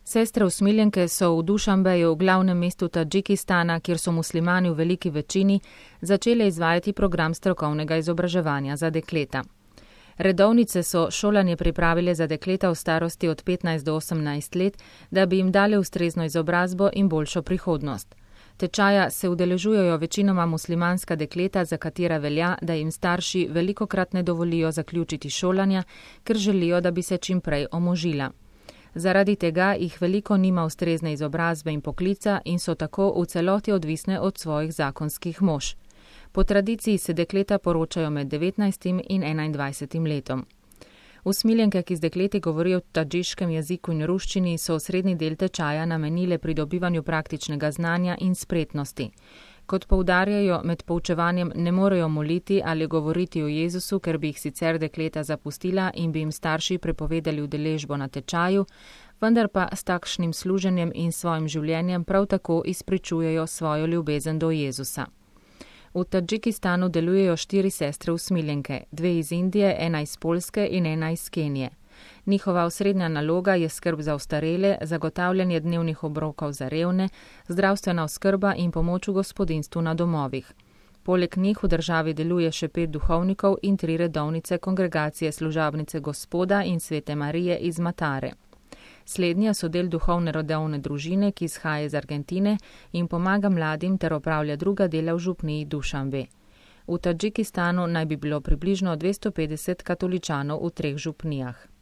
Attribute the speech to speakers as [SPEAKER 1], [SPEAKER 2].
[SPEAKER 1] Sestre usmiljenke so v Dušanbeju, glavnem mestu Tadžikistana, kjer so muslimani v veliki večini, začele izvajati program strokovnega izobraževanja za dekleta. Redovnice so šolanje pripravile za dekleta v starosti od 15 do 18 let, da bi jim dale ustrezno izobrazbo in boljšo prihodnost. Tečaja se udeležujejo večinoma muslimanska dekleta, za katera velja, da jim starši velikokrat ne dovolijo zaključiti šolanja, ker želijo, da bi se čim prej omožila. Zaradi tega jih veliko nima ustrezne izobrazbe in poklica in so tako v celoti odvisne od svojih zakonskih mož. Po tradiciji se dekleta poročajo med 19 in 21 letom. Usmiljenke, ki z dekleti govorijo v tadžiškem jeziku in ruščini, so srednji del tečaja namenile pridobivanju praktičnega znanja in spretnosti. Kot poudarjajo, med poučevanjem ne morejo moliti ali govoriti o Jezusu, ker bi jih sicer dekleta zapustila in bi jim starši prepovedali udeležbo na tečaju, vendar pa s takšnim služenjem in svojim življenjem prav tako izpričujejo svojo ljubezen do Jezusa. V Tadžikistanu delujejo 4 sestre usmiljenke, 2 iz Indije, 1 iz Poljske in 1 iz Kenije. Njihova osrednja naloga je skrb za ostarele, zagotavljanje dnevnih obrokov za revne, zdravstvena oskrba in pomoč v gospodinjstvu na domovih. Poleg njih v državi deluje še 5 duhovnikov in 3 redovnice kongregacije Služabnice Gospoda in Svete Marije iz Matare. Slednja so del duhovne rodovne družine, ki izhaja iz Argentine in pomaga mladim ter opravlja druga dela v župniji Dušanbe. V Tadžikistanu naj bi bilo približno 250 katoličanov v 3 župnijah.